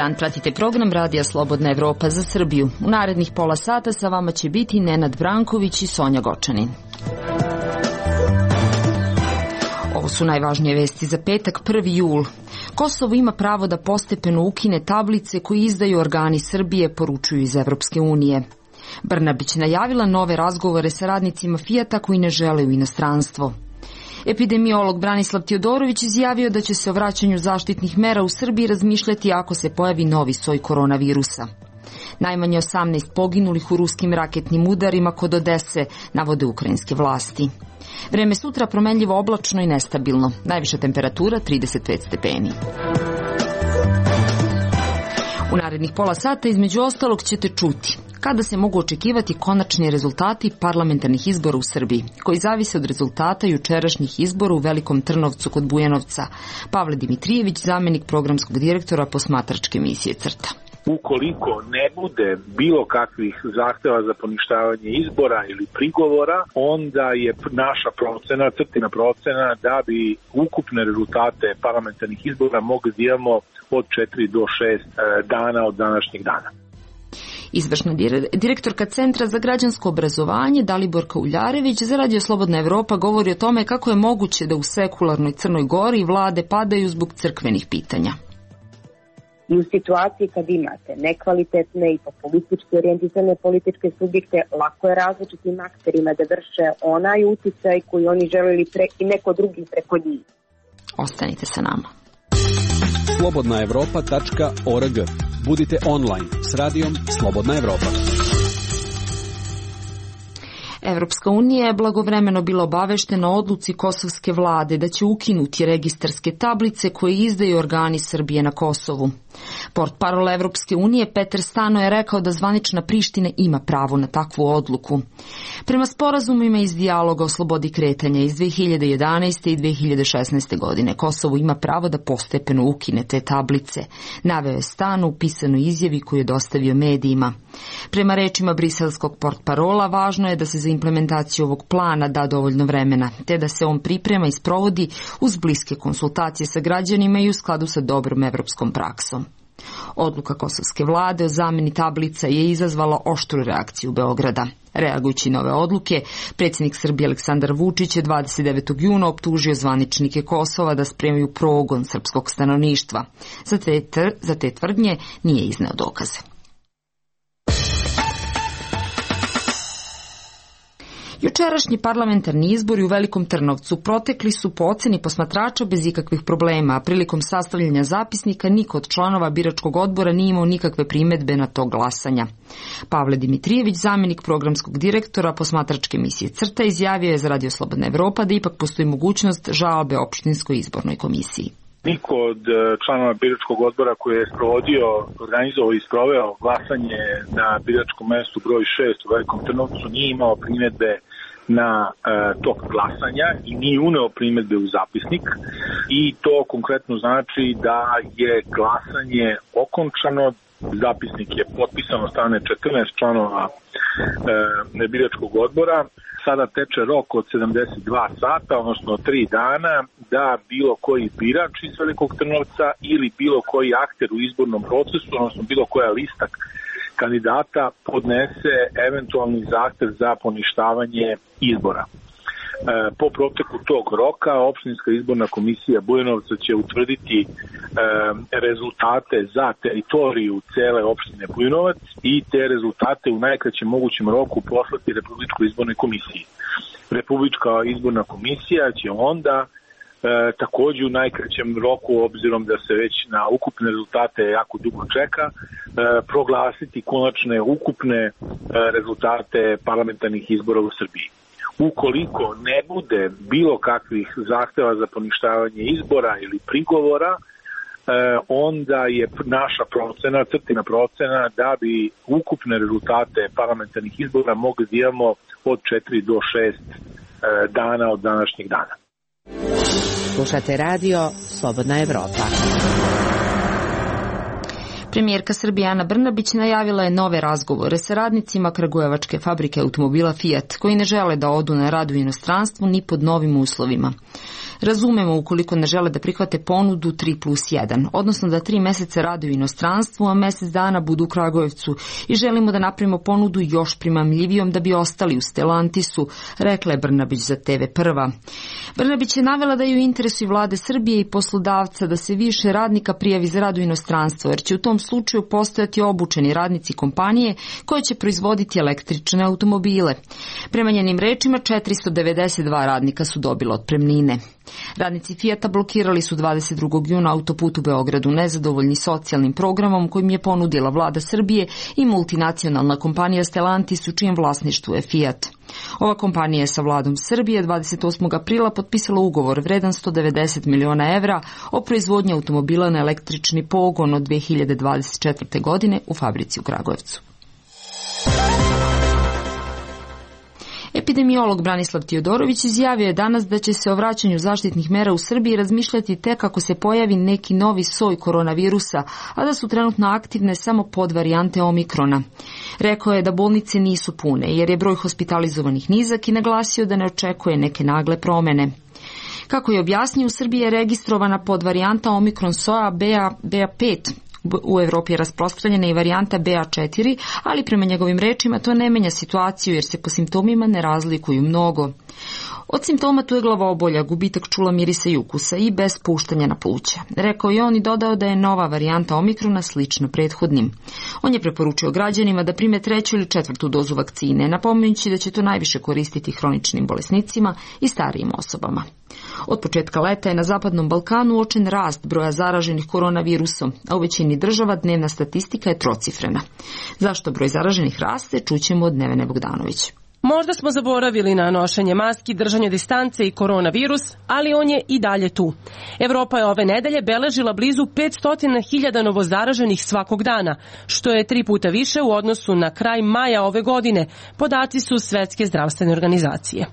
dan, pratite program Radija Slobodna Evropa za Srbiju. U narednih pola sata sa vama će biti Nenad Branković i Sonja Gočanin. Ovo su najvažnije vesti za petak, 1. jul. Kosovo ima pravo da postepeno ukine tablice koje izdaju organi Srbije, poručuju iz Evropske unije. Brnabić najavila nove razgovore sa radnicima Fijata koji ne žele u inostranstvo. Epidemiolog Branislav Tijodorović izjavio da će se o vraćanju zaštitnih mera u Srbiji razmišljati ako se pojavi novi soj koronavirusa. Najmanje 18 poginulih u ruskim raketnim udarima kod Odese, navode ukrajinske vlasti. Vreme sutra promenljivo oblačno i nestabilno. Najviša temperatura 35 stepeni. U narednih pola sata između ostalog ćete čuti kada se mogu očekivati konačni rezultati parlamentarnih izbora u Srbiji, koji zavise od rezultata jučerašnjih izbora u Velikom Trnovcu kod Bujanovca. Pavle Dimitrijević, zamenik programskog direktora posmatračke misije CRTA. Ukoliko ne bude bilo kakvih zahteva za poništavanje izbora ili prigovora, onda je naša procena, CRTA-ina procena, da bi ukupne rezultate parlamentarnih izbora mogli da imamo od 4 do 6 dana od današnjeg dana. Izvršna direktorka Centra za građansko obrazovanje Daliborka Uljarević za Radio Slobodna Evropa govori o tome kako je moguće da u sekularnoj Crnoj Gori vlade padaju zbog crkvenih pitanja. I u situaciji kad imate nekvalitetne i populistički orijentisane političke subjekte, lako je različitim akterima da vrše onaj uticaj koji oni želeli i neko drugi preko njih. Ostanite sa nama. slobodnaevropa.org. Budite online s radijom Slobodna Evropa. Evropska unija je blagovremeno bila obaveštena o odluci kosovske vlade da će ukinuti registarske tablice koje izdaju organi Srbije na Kosovu. Portparol Evropske unije Peter Stano je rekao da zvanična Priština ima pravo na takvu odluku. Prema sporazumima iz dijaloga o slobodi kretanja iz 2011. i 2016. godine Kosovo ima pravo da postepeno ukine te tablice, naveo je Stano u pisanoj izjavi koju je dostavio medijima. Prema rečima briselskog portparola, važno je da se za implementaciju ovog plana da dovoljno vremena, te da se on priprema i sprovodi uz bliske konsultacije sa građanima i u skladu sa dobrom evropskom praksom. Odluka kosovske vlade o zameni tablica je izazvala oštru reakciju Beograda. Reagujući na ove odluke, predsjednik Srbije Aleksandar Vučić je 29. juna optužio zvaničnike Kosova da spremaju progon srpskog stanovništva. Za te tvrdnje nije izneo dokaze. Jučerašnji parlamentarni izbori u Velikom Trnovcu protekli su po oceni posmatrača bez ikakvih problema, a prilikom sastavljanja zapisnika niko od članova biračkog odbora nije imao nikakve primedbe na to glasanja. Pavle Dimitrijević, zamenik programskog direktora posmatračke misije CRTA, izjavio je za Radio Slobodna Evropa da ipak postoji mogućnost žalbe opštinskoj izbornoj komisiji. Niko od članova biračkog odbora koji je organizovao i sproveo glasanje na biračkom mestu broj 6 u Velikom Trnovcu nije imao primedbe na tok glasanja i nije uneo primedbe u zapisnik i to konkretno znači da je glasanje okončano. Zapisnik je potpisan od strane 14 članova biračkog odbora. Sada teče rok od 72 sata, odnosno 3 dana, da bilo koji birač iz Velikog Trnovca ili bilo koji akter u izbornom procesu, odnosno bilo koja lista kandidata podnese eventualni zahtev za poništavanje izbora. Po proteku tog roka opštinska izborna komisija Bujanovca će utvrditi rezultate za teritoriju cele opštine Bujanovac i te rezultate u najkraćem mogućem roku poslati Republičkoj izbornoj komisiji. Republička izborna komisija će onda također u najkraćem roku, obzirom da se već na ukupne rezultate jako dugo čeka, proglasiti konačne ukupne rezultate parlamentarnih izbora u Srbiji. Ukoliko ne bude bilo kakvih zahteva za poništavanje izbora ili prigovora, onda je naša procena, CRTA-ina procena, da bi ukupne rezultate parlamentarnih izbora mogli da imamo od 4 do 6 dana od današnjeg dana. Slušate radio Slobodna Evropa. Premijerka Srbije Ana Brnabić najavila je nove razgovore sa radnicima kragujevačke fabrike automobila Fiat, koji ne žele da odu na rad u inostranstvu ni pod novim uslovima. Razumemo ukoliko ne žele da prihvate ponudu 3+1, odnosno da 3 meseca rade u inostranstvu, a mesec dana budu u Kragujevcu i želimo da napravimo ponudu još primamljivijom da bi ostali u Stellantisu, rekla je Brnabić za TV Prva. Brnabić je navela da je u interesu vlade Srbije i poslodavca da se više radnika prijavi za rad u inostranstvo, jer će u tom slučaju postojati obučeni radnici kompanije koje će proizvoditi električne automobile. Prema njenim rečima 492 radnika su dobila otpremnine. Radnici Fijata blokirali su 22. juna autoput u Beogradu nezadovoljni socijalnim programom kojim je ponudila vlada Srbije i multinacionalna kompanija Stellantis u čijem vlasništvu je Fijat. Ova kompanija je sa vladom Srbije 28. aprila potpisala ugovor vredan 190 miliona evra o proizvodnji automobila na električni pogon od 2024. godine u fabrici u Kragujevcu. Epidemiolog Branislav Tiodorović izjavio je danas da će se o vraćanju zaštitnih mera u Srbiji razmišljati tek ako se pojavi neki novi soj koronavirusa, a da su trenutno aktivne samo podvarijante Omikrona. Rekao je da bolnice nisu pune jer je broj hospitalizovanih nizak i naglasio da ne očekuje neke nagle promene. Kako je objasnio, u Srbiji je registrovana podvarijanta Omikron soja BA5. U Evropi je rasprostranjena i varijanta BA4, ali prema njegovim rečima to ne menja situaciju jer se po simptomima ne razlikuju mnogo. Od simptoma tu je glavobolja, gubitak čula, mirisa i ukusa i bez puštanja na pluća. Rekao je on i dodao da je nova varijanta Omikrona slična prethodnim. On je preporučio građanima da prime 3. ili 4. dozu vakcine, napominjući da će to najviše koristiti hroničnim bolesnicima i starijim osobama. Od početka leta je na Zapadnom Balkanu uočen rast broja zaraženih koronavirusom, a u većini država dnevna statistika je trocifrena. Zašto broj zaraženih raste, čućemo od Nevene Bogdanović. Možda smo zaboravili na nošenje maski, držanje distance i koronavirus, ali on je i dalje tu. Evropa je ove nedelje beležila blizu 500.000 novozaraženih svakog dana, što je 3 puta više u odnosu na kraj maja ove godine, podaci su Svetske zdravstvene organizacije.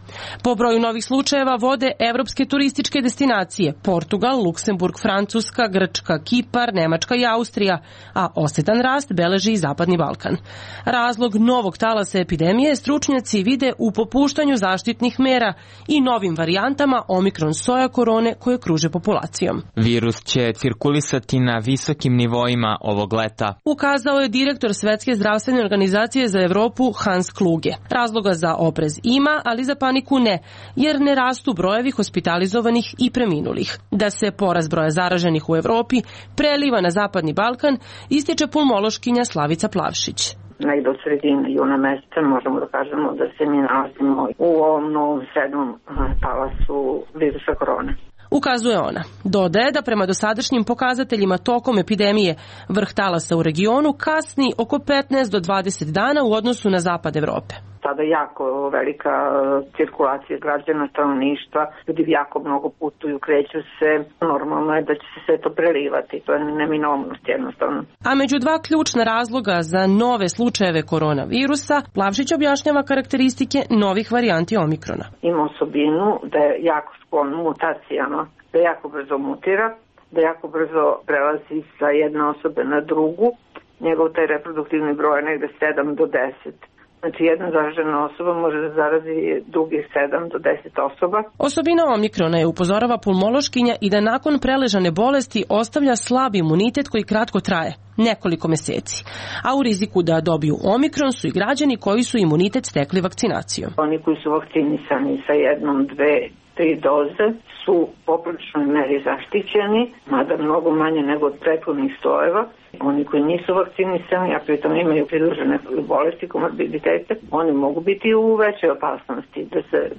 Po broju novih slučajeva vode evropske turističke destinacije Portugal, Luksemburg, Francuska, Grčka, Kipar, Nemačka i Austrija, a osetan rast beleži i Zapadni Balkan. Razlog novog talasa epidemije stručnjaci vide u popuštanju zaštitnih mera i novim varijantama Omikron soja korone koje kruže populacijom. Virus će cirkulisati na visokim nivoima ovog leta, ukazao je direktor Svetske zdravstvene organizacije za Evropu Hans Kluge. Razloga za oprez ima, ali za paniku ne, jer ne rastu brojevi hospitalizovanih i preminulih. Da se porast broja zaraženih u Evropi preliva na Zapadni Balkan, ističe pulmološkinja Slavica Plavšić. Negde od sredine juna meseca možemo da kažemo da se mi nalazimo u ovom novom 7. talasu virusa korone. Ukazuje ona. Dodaje da prema dosadašnjim pokazateljima tokom epidemije vrh talasa u regionu kasni oko 15 do 20 dana u odnosu na zapad Evrope. Sada jako velika cirkulacija građana, stanovništva, ljudi jako mnogo putuju, kreću se, normalno je da će se sve to prelivati, to je neminovnost jednostavno. A među 2 ključna razloga za nove slučajeve koronavirusa, Plavšić objašnjava karakteristike novih varijanti Omikrona. Ima osobinu da je jako sklon mutacijama, da jako brzo mutira, da jako brzo prelazi sa jedne osobe na drugu, njegov taj reproduktivni broj je negde 7 do 10. Znači jedna zaražena osoba može da zarazi drugih 7 do 10 osoba. Osobina Omikrona je, upozorava pulmološkinja, i da nakon preležane bolesti ostavlja slab imunitet koji kratko traje, nekoliko meseci. A u riziku da dobiju Omikron su i građani koji su imunitet stekli vakcinacijom. Oni koji su vakcinisani sa 1, 2, 3 doze su u popriličnoj meri zaštićeni, mada mnogo manje nego od prethodnih sojeva. Oni koji nisu vakcinisani, a pritom imaju pridružene bolesti, komorbiditete, oni mogu biti u većoj opasnosti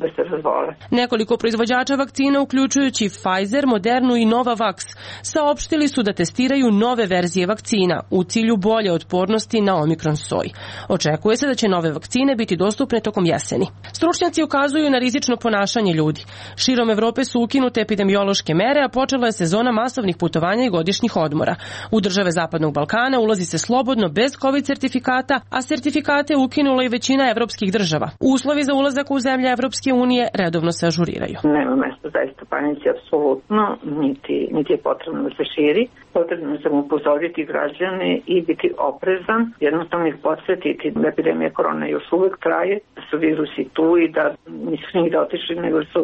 da se razbole. Nekoliko proizvođača vakcina, uključujući Pfizer, Modernu i Novavax, saopštili su da testiraju nove verzije vakcina u cilju bolje otpornosti na Omikron soj. Očekuje se da će nove vakcine biti dostupne tokom jeseni. Stručnjaci ukazuju na rizično ponašanje ljudi. Širom Evrope su ukinute epidemiološke mere, a počela je sezona masovnih putovanja i godišnjih odmora. U države Zapadnog Balkana ulazi se slobodno bez COVID sertifikata, a sertifikate ukinula i većina evropskih država. Uslovi za ulazak u zemlje Evropske unije redovno se ažuriraju. Nema mesta zaista panici apsolutno, niti je potrebno da se širi. Potrebno je samo upozoriti građane i biti oprezan, jednostavno ih podsjetiti da epidemija korona još uvek traje, da su virusi tu i da nisu njih da otišli, nego su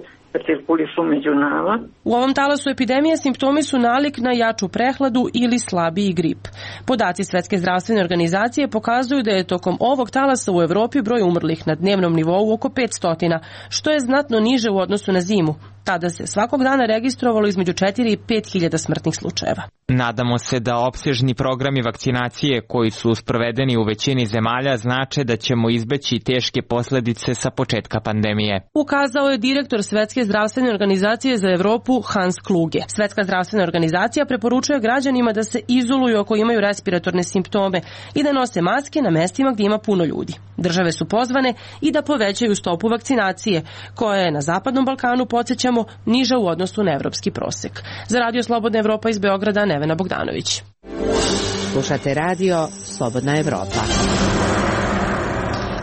cirkulišu među nama. U ovom talasu epidemije simptomi su nalik na jaču prehladu ili slabiji grip. Podaci Svetske zdravstvene organizacije pokazuju da je tokom ovog talasa u Evropi broj umrlih na dnevnom nivou oko 500, što je znatno niže u odnosu na zimu. Tada se svakog dana registrovalo između 4 i 5 hiljada smrtnih slučajeva. Nadamo se da opsežni programi vakcinacije koji su sprovedeni u većini zemalja znače da ćemo izbeći teške posledice sa početka pandemije. Ukazao je direktor Svetske zdravstvene organizacije za Evropu Hans Kluge. Svetska zdravstvena organizacija preporučuje građanima da se izoluju ako imaju respiratorne simptome i da nose maske na mestima gdje ima puno ljudi. Države su pozvane i da povećaju stopu vakcinacije, koja je na Zapadnom Balkanu, podsjećamo, niža u odnosu na evropski prosek. Za Radio Slobodna Evropa iz Beograda, Nevena Bogdanović. Slušate radio Slobodna Evropa.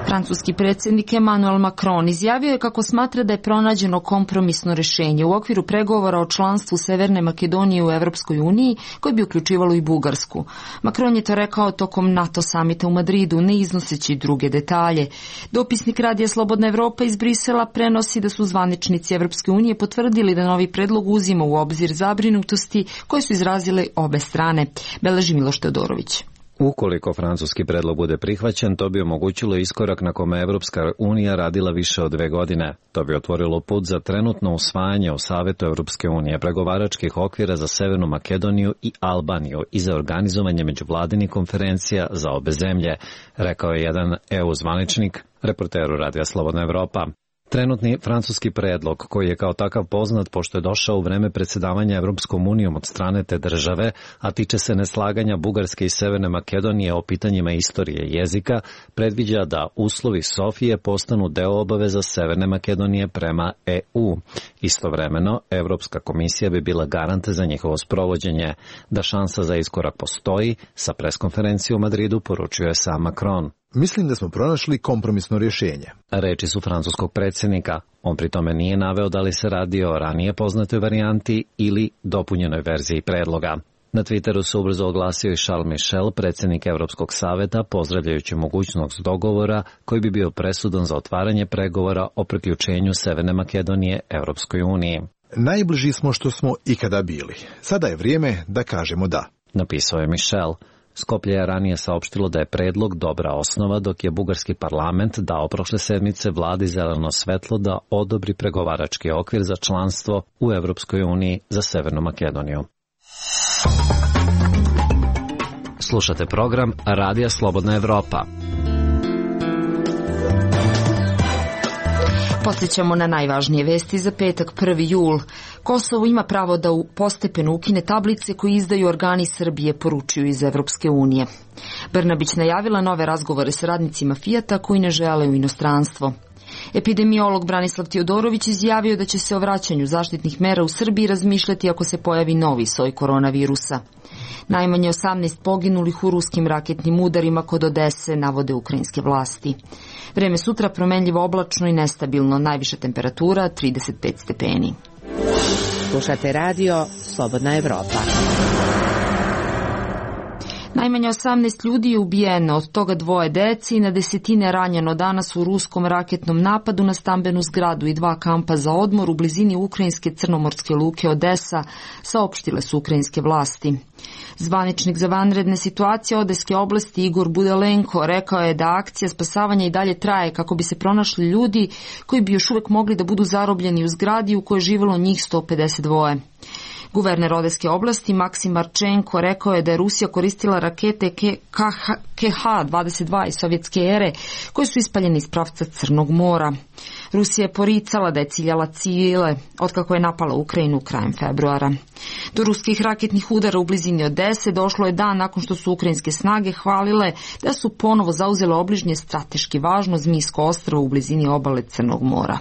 Francuski predsjednik Emmanuel Macron izjavio je kako smatra da je pronađeno kompromisno rješenje u okviru pregovora o članstvu Severne Makedonije u Europskoj uniji, koji bi uključivalo i Bugarsku. Macron je to rekao tokom NATO samita u Madridu, ne iznoseći druge detalje. Dopisnik Radija Slobodna Evropa iz Brisela prenosi da su zvaničnici Europske unije potvrdili da novi predlog uzima u obzir zabrinutosti koje su izrazile obe strane. Beleži Miloš Teodorović. Ukoliko francuski predlog bude prihvaćen, to bi omogućilo iskorak na kome Evropska unija radila više od 2 godine. To bi otvorilo put za trenutno usvajanje u Savetu Evropske unije pregovaračkih okvira za Severnu Makedoniju i Albaniju i za organizovanje međuvladinih konferencija za obe zemlje, rekao je jedan EU zvaničnik reporteru Radija Slobodna Evropa. Trenutni francuski predlog, koji je kao takav poznat pošto je došao u vreme predsjedavanja Evropskom unijom od strane te države, a tiče se neslaganja Bugarske i Severne Makedonije o pitanjima istorije i jezika, predviđa da uslovi Sofije postanu deo obaveza Severne Makedonije prema EU. Istovremeno, Evropska komisija bi bila garant za njihovo sprovođenje. Da šansa za iskorak postoji, sa preskonferencije u Madridu poručuje sam Macron. Mislim da smo pronašli kompromisno rješenje. Reči su francuskog predsjednika. On pri tome nije naveo da li se radi o ranije poznatoj varijanti ili dopunjenoj verziji predloga. Na Twitteru se ubrzo oglasio i Charles Michel, predsjednik Evropskog saveta, pozdravljajući mogućnost dogovora koji bi bio presudan za otvaranje pregovora o priključenju Severne Makedonije Evropskoj uniji. Najbliži smo što smo ikada bili. Sada je vrijeme da kažemo da, napisao je Michel. Skoplje je ranije saopštilo da je predlog dobra osnova, dok je bugarski parlament dao prošle sedmice vladi zeleno svetlo da odobri pregovarački okvir za članstvo u Evropskoj uniji za Severnu Makedoniju. Slušate program Radija Slobodna Evropa. Podsjećamo na najvažnije vesti za petak 1. jul. Kosovo ima pravo da postepeno ukine tablice koje izdaju organi Srbije, poručuju iz Evropske unije. Brnabić najavila nove razgovore s radnicima Fijata koji ne žele u inostranstvo. Epidemiolog Branislav Teodorović izjavio da će se o vraćanju zaštitnih mera u Srbiji razmišljati ako se pojavi novi soj koronavirusa. Najmanje 18 poginulih u ruskim raketnim udarima kod Odese, navode ukrajinske vlasti. Vreme sutra promenljivo oblačno i nestabilno, najviša temperatura 35 stepeni. Slušate radio Slobodna Evropa. Najmanje 18 ljudi je ubijeno, od toga 2 dece i na desetine ranjeno danas u ruskom raketnom napadu na stambenu zgradu i 2 kampa za odmor u blizini ukrajinske crnomorske luke Odesa, saopštile su ukrajinske vlasti. Zvaničnik za vanredne situacije Odeske oblasti Igor Budalenko rekao je da akcija spasavanja i dalje traje kako bi se pronašli ljudi koji bi još uvijek mogli da budu zarobljeni u zgradi u kojoj je živjelo njih 152. Guverner Odeske oblasti Maksim Marčenko rekao je da je Rusija koristila rakete KH-22 iz sovjetske ere koje su ispaljene iz pravca Crnog mora. Rusija je poricala da je ciljala civile otkako je napala Ukrajinu krajem februara. Do ruskih raketnih udara u blizini Odese došlo je dan nakon što su ukrajinske snage hvalile da su ponovo zauzele obližnje strateški važno Zmijsko ostrvo u blizini obale Crnog mora.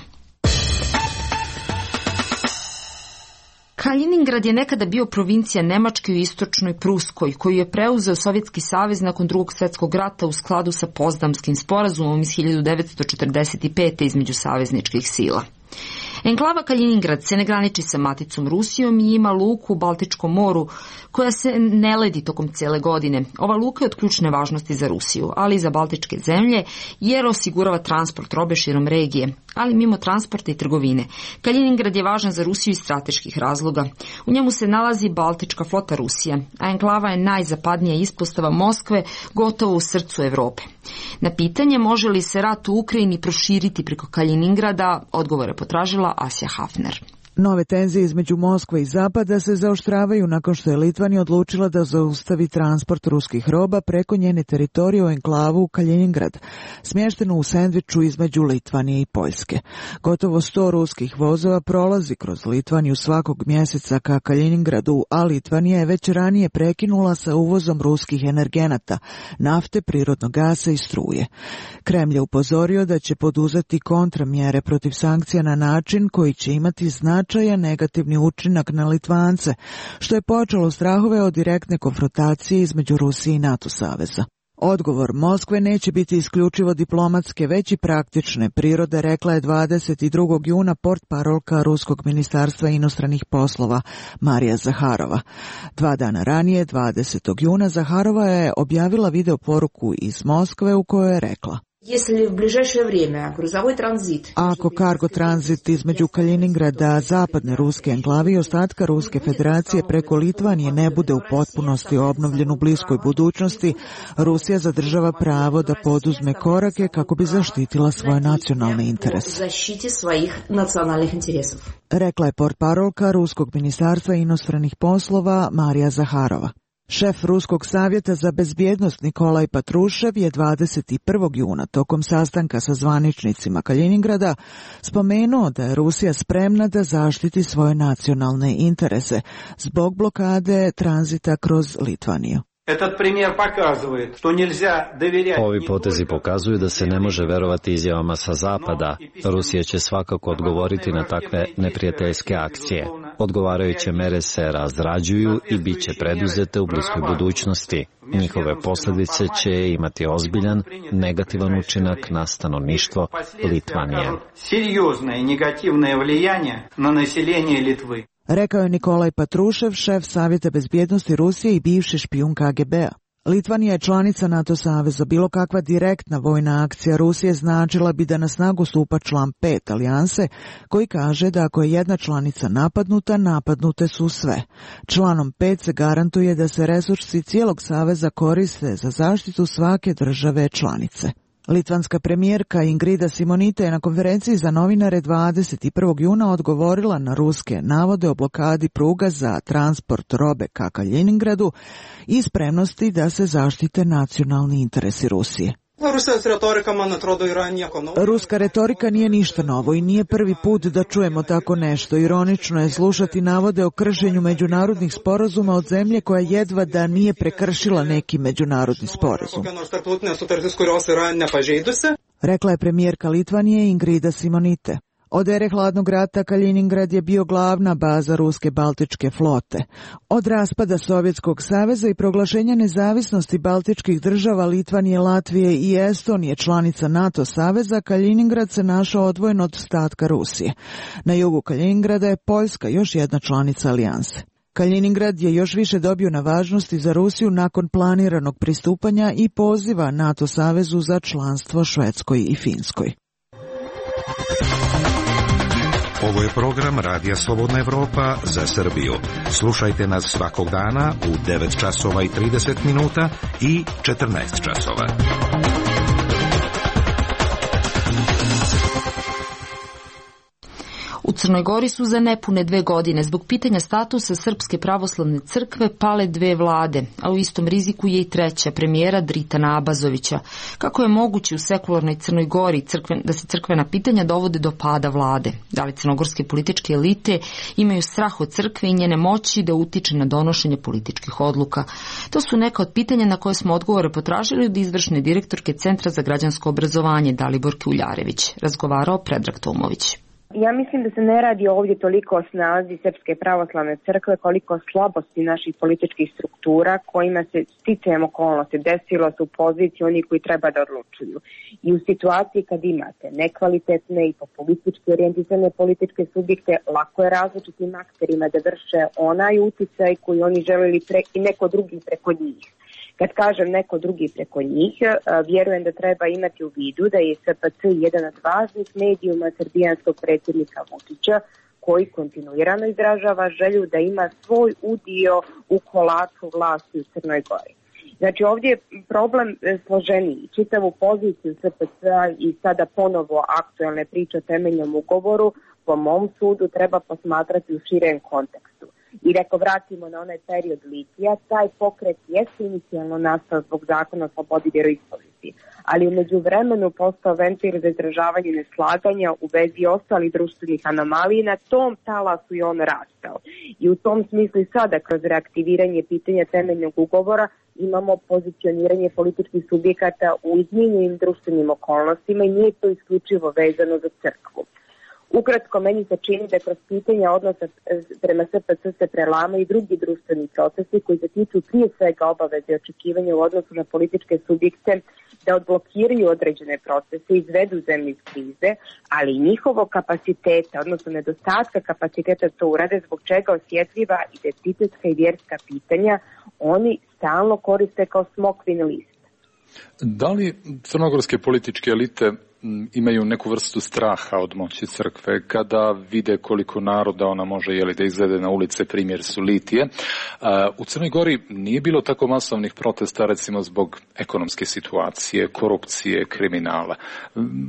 Kaliningrad je nekada bio provincija Nemačke u istočnoj Pruskoj, koju je preuzeo Sovjetski savez nakon Drugog svjetskog rata u skladu sa Potsdamskim sporazumom iz 1945. između savezničkih sila. Enklava Kaljiningrad se ne graniči sa maticom Rusijom i ima luku u Baltičkom moru koja se ne ledi tokom cele godine. Ova luka je od ključne važnosti za Rusiju, ali i za baltičke zemlje jer osigurava transport robe širom regije, ali mimo transporta i trgovine. Kaljiningrad je važan za Rusiju iz strateških razloga. U njemu se nalazi baltička flota Rusije, a enklava je najzapadnija ispostava Moskve gotovo u srcu Evrope. Na pitanje može li se rat u Ukrajini proširiti preko Kaljiningrada, odgovore potražila Asja Hafner. Nove tenzije između Moskve i Zapada se zaoštravaju nakon što je Litvanija odlučila da zaustavi transport ruskih roba preko njene teritorije u enklavu Kaljiningrad, smještenu u sendviču između Litvanije i Poljske. Gotovo 100 ruskih vozova prolazi kroz Litvaniju svakog mjeseca ka Kaljiningradu, a Litvanija je već ranije prekinula sa uvozom ruskih energenata, nafte, prirodnog gasa i struje. Kremlj je upozorio da će poduzeti kontramjere protiv sankcija na način koji će imati značajan negativni učinak na Litvance, što je počelo strahove od direktne konfrontacije između Rusije i NATO saveza. Odgovor Moskve neće biti isključivo diplomatske, već i praktične prirode, rekla je 22. juna portparolka Ruskog ministarstva inostranih poslova Marija Zaharova. 2 dana ranije, 20. juna, Zaharova je objavila video poruku iz Moskve u kojoj je rekla: ako kargo tranzit između Kaljiningrada, zapadne ruske enklave i ostatka Ruske federacije preko Litvanije ne bude u potpunosti obnovljen u bliskoj budućnosti, Rusija zadržava pravo da poduzme korake kako bi zaštitila svoje nacionalne interese. Rekla je portparolka Ruskog ministarstva inostranih poslova Marija Zaharova. Šef Ruskog savjeta za bezbjednost Nikolaj Patrušev je 21. juna tokom sastanka sa zvaničnicima Kaljiningrada spomenuo da je Rusija spremna da zaštiti svoje nacionalne interese zbog blokade tranzita kroz Litvaniju. Ovi potezi pokazuju da se ne može verovati izjavama sa Zapada. Rusija će svakako odgovoriti na takve neprijateljske akcije. Odgovarajuće mere se razrađuju i bit će preduzete u bliskoj budućnosti. Njihove posljedice će imati ozbiljan, negativan učinak na stanovništvo Litvanije. Rekao je Nikolaj Patrušev, šef Savjeta bezbjednosti Rusije i bivši špijun KGB-a. Litvanija je članica NATO saveza. Bilo kakva direktna vojna akcija Rusije značila bi da na snagu stupa član 5 alijanse, koji kaže da ako je jedna članica napadnuta, napadnute su sve. Članom 5 se garantuje da se resursi cijelog saveza koriste za zaštitu svake države članice. Litvanska premijerka Ingrida Simonita je na konferenciji za novinare 21. juna odgovorila na ruske navode o blokadi pruga za transport robe ka Kaljiningradu i spremnosti da se zaštite nacionalni interesi Rusije. Ruska retorika nije ništa novo i nije prvi put da čujemo tako nešto. Ironično je slušati navode o kršenju međunarodnih sporazuma od zemlje koja jedva da nije prekršila neki međunarodni sporazum. Rekla je premijerka Litvanije Ingrida Simonite. Od ere hladnog rata Kaljiningrad je bio glavna baza ruske baltičke flote. Od raspada Sovjetskog saveza i proglašenja nezavisnosti baltičkih država Litvanije, Latvije i Estonije, članica NATO saveza, Kaljiningrad se našao odvojen od ostatka Rusije. Na jugu Kaljiningrada je Poljska, još jedna članica alijanse. Kaljiningrad je još više dobio na važnosti za Rusiju nakon planiranog pristupanja i poziva NATO savezu za članstvo Švedskoj i Finskoj. Ovo je program Radija Slobodna Evropa za Srbiju. Slušajte nas svakog dana u 9 časova i 30 minuta i 14 časova. U Crnoj Gori su za nepune 2 godine zbog pitanja statusa Srpske pravoslavne crkve pale 2 vlade, a u istom riziku je i 3. premijera Dritana Abazovića. Kako je moguće u sekularnoj Crnoj Gori da se crkvena pitanja dovode do pada vlade? Da li crnogorske političke elite imaju strah od crkve i njene moći da utiče na donošenje političkih odluka? To su neka od pitanja na koje smo odgovore potražili od izvršne direktorke Centra za građansko obrazovanje Daliborke Uljarević. Razgovarao Predrag Tomović. Ja mislim da se ne radi ovdje toliko o snazi Srpske pravoslavne crkve koliko o slabosti naših političkih struktura kojima se sticajem okolnosti desilo su u poziciji oni koji treba da odlučuju. I u situaciji kad imate nekvalitetne i populistički orijentisane političke subjekte, lako je različitim akterima da vrše onaj uticaj koji oni želeli i neko drugi preko njih. Kad kažem neko drugi preko njih, vjerujem da treba imati u vidu da je SPC jedan od važnih medijuma srbijanskog predsjednika Vučića, koji kontinuirano izražava želju da ima svoj udio u kolaču vlasti u Crnoj Gori. Znači ovdje je problem složeniji. Čitavu poziciju SPC-a i sada ponovo aktualne priče o temeljnom ugovoru po mom sudu treba posmatrati u širem kontekstu. I ako vratimo na onaj period litija, taj pokret jeste inicijalno nastao zbog zakona o slobodi vjeroispovesti, ali u međuvremenu postao ventil za izražavanje neslaganja u vezi ostalih društvenih anomalija i na tom talasu i on rastao. I u tom smislu i sada kroz reaktiviranje pitanja temeljnog ugovora imamo pozicioniranje političkih subjekata u izmijenjenim društvenim okolnostima i nije to isključivo vezano za crkvu. Ukratko, meni se čini da kroz pitanja odnosa prema SPC se prelamaju i drugi društveni procesi koji se tiču prije svega obaveze i očekivanja u odnosu na političke subjekte da odblokiraju određene procese, izvedu zemlju iz krize, ali i njihovog kapaciteta, odnosno nedostatka kapaciteta to urade, zbog čega osjetljiva identitetska i vjerska pitanja oni stalno koriste kao smokvin list. Da li crnogorske političke elite imaju neku vrstu straha od moći crkve kada vide koliko naroda ona može da izvede na ulice, primjer su litije? U Crnoj Gori nije bilo tako masovnih protesta recimo zbog ekonomske situacije, korupcije, kriminala.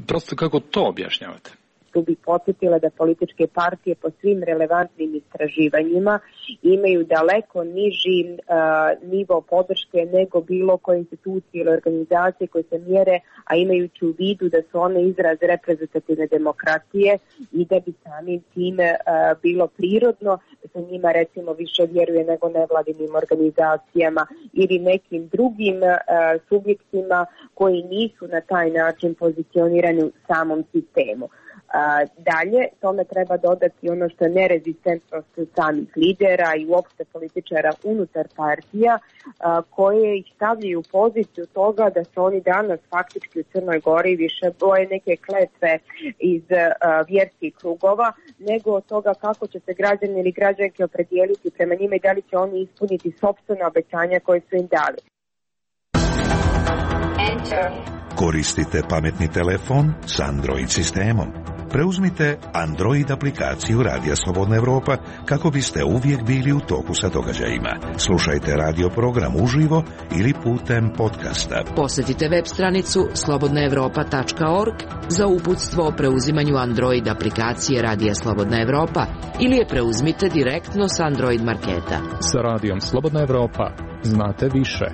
Prosto kako to objašnjavate? Tu bih podsjetila da političke partije po svim relevantnim istraživanjima imaju daleko niži nivo podrške nego bilo koje institucije ili organizacije koje se mjere, a imajući u vidu da su one izraz reprezentativne demokratije i da bi samim time bilo prirodno da se njima recimo više vjeruje nego nevladinim organizacijama ili nekim drugim subjektima koji nisu na taj način pozicionirani u samom sistemu. Dalje, tome treba dodati ono što je nerezistentnost samih lidera i uopšte političara unutar partija koje ih stavljaju u poziciju toga da se oni danas faktički u Crnoj Gori više boje neke kletve iz vjerskih krugova nego od toga kako će se građani ili građanke opredijeliti prema njima i da li će oni ispuniti sopstvena obećanja koje su im dali. Koristite pametni telefon s Android sistemom. Preuzmite Android aplikaciju Radija Slobodna Evropa kako biste uvijek bili u toku sa događajima. Slušajte radio program uživo ili putem podcasta. Posjetite web stranicu slobodnaevropa.org za uputstvo o preuzimanju Android aplikacije Radija Slobodna Evropa ili je preuzmite direktno s Android marketa. Sa Radijom Slobodna Evropa znate više.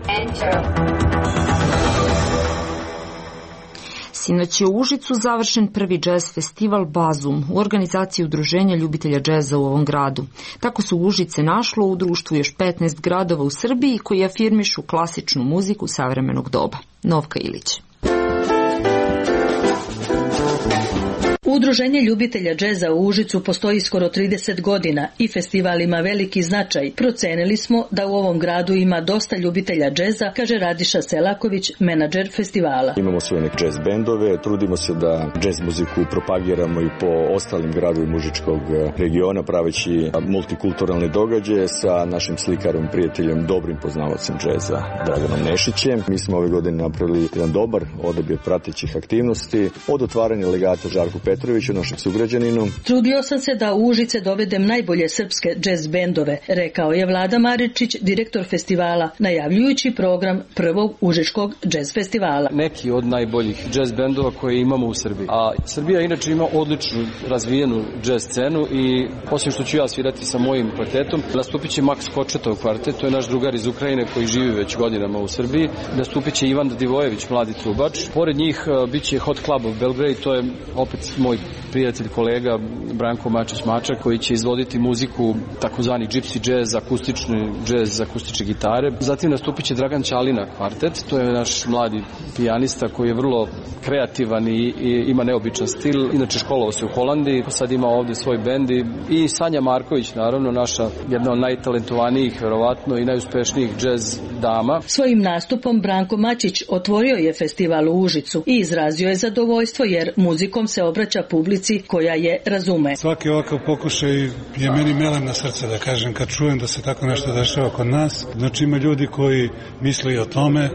Sinoć je u Užicu završen prvi džez festival Bazum u organizaciji Udruženja ljubitelja džeza u ovom gradu. Tako se Užice našlo u društvu još 15 gradova u Srbiji koji afirmišu klasičnu muziku savremenog doba. Novka Ilić. Udruženje ljubitelja džeza u Užicu postoji skoro 30 godina i festival ima veliki značaj. Procenili smo da u ovom gradu ima dosta ljubitelja džeza, kaže Radiša Selaković, menadžer festivala. Imamo svoje neke džez bendove, trudimo se da džez muziku propagiramo i po ostalim gradovima Užičkog regiona, praveći multikulturalne događaje sa našim slikarom, prijateljem, dobrim poznavalcem džeza, Draganom Nešićem. Mi smo ove godine napravili jedan dobar odabir pratećih aktivnosti, od otvaranja legata Žarku Petroviću, našem sugrađaninu. Trudio sam se da u Užice dovedem najbolje srpske džez bendove, rekao je Vlada Maričić, direktor festivala, najavljujući program prvog Užičkog džez festivala. Neki od najboljih džez bendova koje imamo u Srbiji. A Srbija inače ima odličnu razvijenu džez scenu i osim što ću ja svirati sa mojim kvartetom, nastupit će Maks Kočetov kvartet, to je naš drugar iz Ukrajine koji živi već godinama u Srbiji. Nastupit će Ivan Divojević, mladi trubač. Pored njih bit će Hot Club of Belgrade, to je opet moj prijatelj, kolega Branko Mačić-Mačak, koji će izvoditi muziku takozvani gypsy jazz, akustični jazz, akustične gitare. Zatim nastupit će Dragan Ćalina kvartet, to je naš mladi pijanista koji je vrlo kreativan i ima neobičan stil. Inače školovao se u Holandiji, sad ima ovde svoj bend i Sanja Marković, naravno, naša jedna od najtalentovanijih, verovatno, i najuspešnijih jazz dama. Svojim nastupom Branko Mačić otvorio je festival u Užicu i izrazio je zadovoljstvo jer muzikom se obraća publici koja je razume. Svaki ovakav pokušaj je meni melem na srce, da kažem, kad čujem da se tako nešto dešava kod nas. Znači ima ljudi koji misle i o tome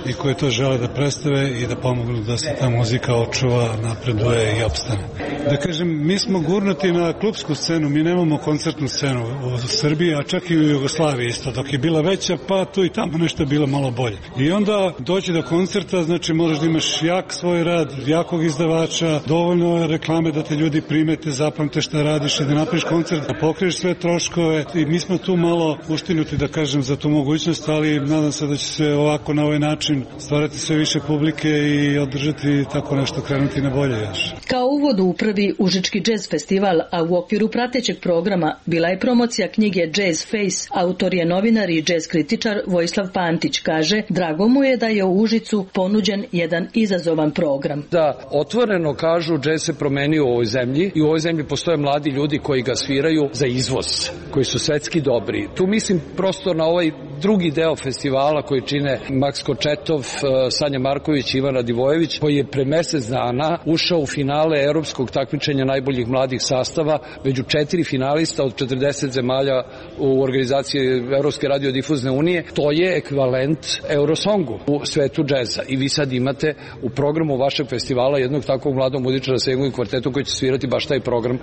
i koji to žele da predstave i da pomognu da se ta muzika očuva, napreduje i opstane. Da kažem, mi smo gurnuti na klupsku scenu, mi nemamo koncertnu scenu u Srbiji, a čak i u Jugoslaviji isto. Dok je bila veća, pa tu i tamo nešto je bilo malo bolje. I onda doći do koncerta, znači moraš da imaš jak svoj rad, jakog izdavača, dovoljno reklame da te ljudi primete, zapamte šta radiš i da napraviš koncert, da pokriješ sve troškove. I mi smo tu malo uštinuti, da kažem, za tu mogućnost, ali nadam se da će se ovako na ovaj način stvarati sve više publike i održati tako nešto, krenuti na bolje još. Kao uvod u prvi Užički jazz festival, a u okviru pratećeg programa bila je promocija knjige Jazz Face. Autor je novinar i jazz kritičar Vojislav Pantić. Kaže, drago mu je da je u Užicu ponuđen jedan izazovan program. Da otvoreno kažu, jazz se promenio u ovoj zemlji i u ovoj zemlji postoje mladi ljudi koji ga sviraju za izvoz, koji su svetski dobri. Tu mislim prosto na ovaj drugi deo festivala koji čine Maks Kočetov, Sanja Marković i Ivan Radivojević, koji je pre mesec dana ušao u finale evropskog takmičenja najboljih mladih sastava među 4 finalista od 40 zemalja u organizaciji Evropske radiodifuzne unije. To je ekvivalent Eurosongu u svetu džeza. I vi sad imate u programu vašeg festivala jednog takvog mladog muzičara sa jednim kvartetom koji će svirati baš taj program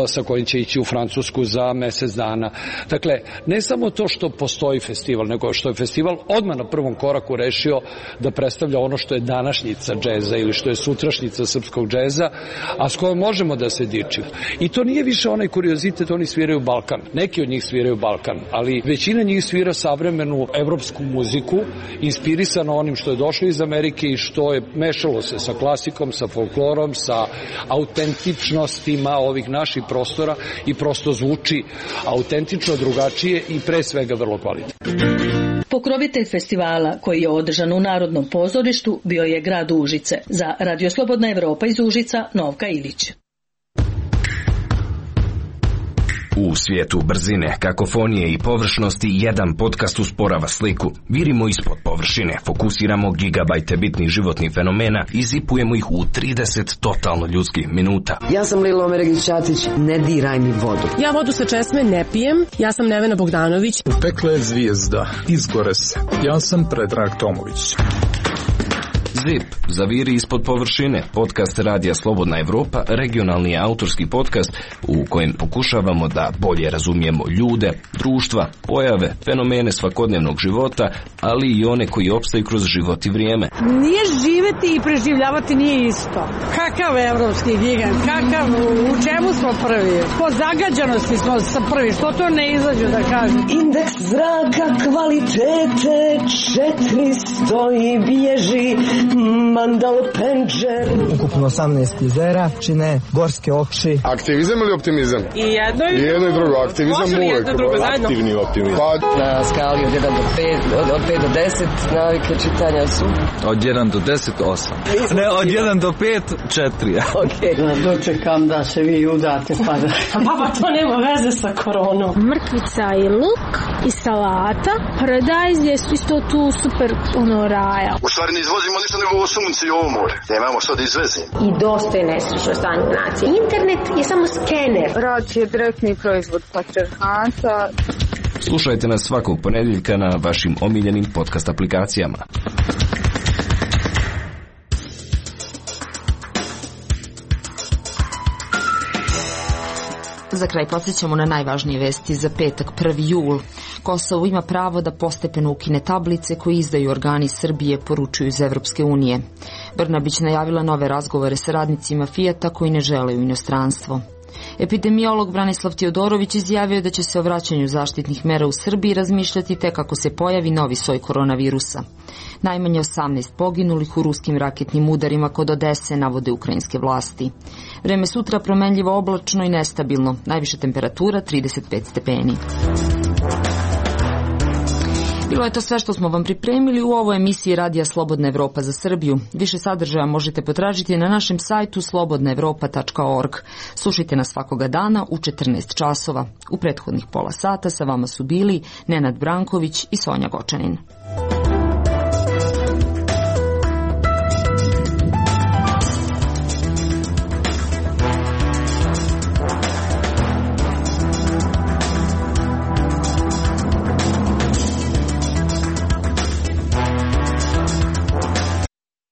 sa kojim će ići u Francusku za mesec dana. Dakle, ne samo to što postoji festival, nego što je festival odmah na prvom koraku rešio da predstavlja ono što je današnjica džeza ili što je sutrašnjica srpskog džeza, a s kojom možemo da se dičimo. I to nije više onaj kuriozitet, oni sviraju Balkan. Neki od njih sviraju Balkan, ali većina njih svira savremenu evropsku muziku, inspirisano onim što je došlo iz Amerike i što je mešalo se sa klasikom, sa folklorom, sa autentičnostima ovih naših prostora i prosto zvuči autentično, drugačije i pre svega vrlo kvalitetno. Pokrovitelj festivala, koji je održan u Narodnom pozorištu, bio je grad Užice. Za Radio Slobodna Evropa iz Užica, Novka Ilić. U svijetu brzine, kakofonije i površnosti jedan podcast usporava sliku. Virimo ispod površine, fokusiramo gigabajte bitnih životnih fenomena i zipujemo ih u 30 totalno ljudskih minuta. Ja sam Lilo Omeregić-Ćatić, ne diraj mi vodu. Ja vodu sa česme ne pijem, ja sam Nevena Bogdanović. U pekle je zvijezda, izgore se. Ja sam Predrag Tomović. ZIP, zaviri ispod površine, podcast Radija Slobodna Evropa, regionalni autorski podcast u kojem pokušavamo da bolje razumijemo ljude, društva, pojave, fenomene svakodnevnog života, ali i one koji opstaju kroz život i vrijeme. Nije živeti i preživljavati nije isto. Kakav evropski gigant, kakav, u čemu smo prvi? Po zagađanosti smo prvi, što to ne izađu da kažem? Indeks zraka kvalitete 400 i bježi Mandal Penđer. Ukupno 18 jezera čine gorske okši. Aktivizam ili optimizam? I jedno i drugo. Aktivizam uvek. Aktivni optimizam. Na skali od 1 do 5, od 5 do 10 navike čitanja su? Od 1 do 10, 8. Ne, od 1 do 5, 4. Ok. Dočekam da se vi udate pa da... Baba, to nema veze sa koronom. Mrkvica i luk i salata. Paradajz je isto tu super raja. U stvari ne izvozimo ništa nego ovo sunce i ovo more. Nemamo što da izvezimo. I dosta je nesrećno stanje nacije. Internet je samo skener. Rad je direktni proizvod patriarhata. Slušajte nas svakog ponedjeljka na vašim omiljenim podcast aplikacijama. Za kraj podsjećamo na najvažnije vesti za petak 1. jul. Kosovo ima pravo da postepeno ukine tablice koje izdaju organi Srbije, poručuju iz Evropske unije. Brnabić najavila nove razgovore sa radnicima Fijata koji ne žele u inostranstvo. Epidemiolog Branislav Teodorović izjavio da će se o vraćanju zaštitnih mera u Srbiji razmišljati tek ako se pojavi novi soj koronavirusa. Najmanje 18 poginulih u ruskim raketnim udarima kod Odese, navode ukrajinske vlasti. Vreme sutra promenljivo oblačno i nestabilno, najviša temperatura 35 stepeni. Bilo je to sve što smo vam pripremili u ovoj emisiji Radija Slobodna Evropa za Srbiju. Više sadržaja možete potražiti na našem sajtu slobodnaevropa.org. Slušajte nas svakoga dana u 14 časova. U prethodnih pola sata sa vama su bili Nenad Branković i Sonja Gočanin.